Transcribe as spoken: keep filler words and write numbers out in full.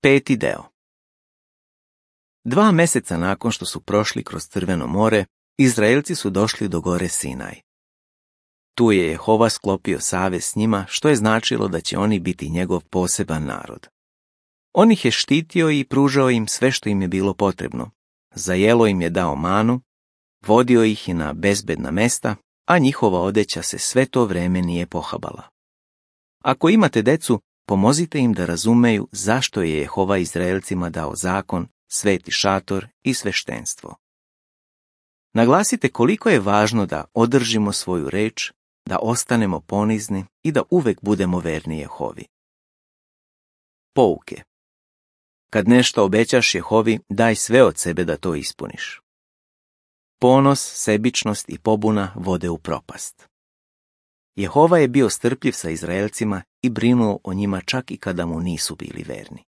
Peti deo. Dva mjeseca nakon što su prošli kroz Crveno more, Izraelci su došli do gore Sinaj. Tu je Jehova sklopio savez s njima, što je značilo da će oni biti njegov poseban narod. On ih je štitio i pružao im sve što im je bilo potrebno. Za jelo im je dao manu, vodio ih i na bezbedna mesta, a njihova odeća se sve to vreme nije pohabala. Ako imate decu, pomozite im da razumeju zašto je Jehova Izraelcima dao zakon, sveti šator i sveštenstvo. Naglasite koliko je važno da održimo svoju reč, da ostanemo ponizni i da uvek budemo verni Jehovi. Pouke. Kad nešto obećaš Jehovi, daj sve od sebe da to ispuniš. Ponos, sebičnost i pobuna vode u propast. Jehova je bio strpljiv sa Izraelcima i brinuo o njima čak i kada mu nisu bili verni.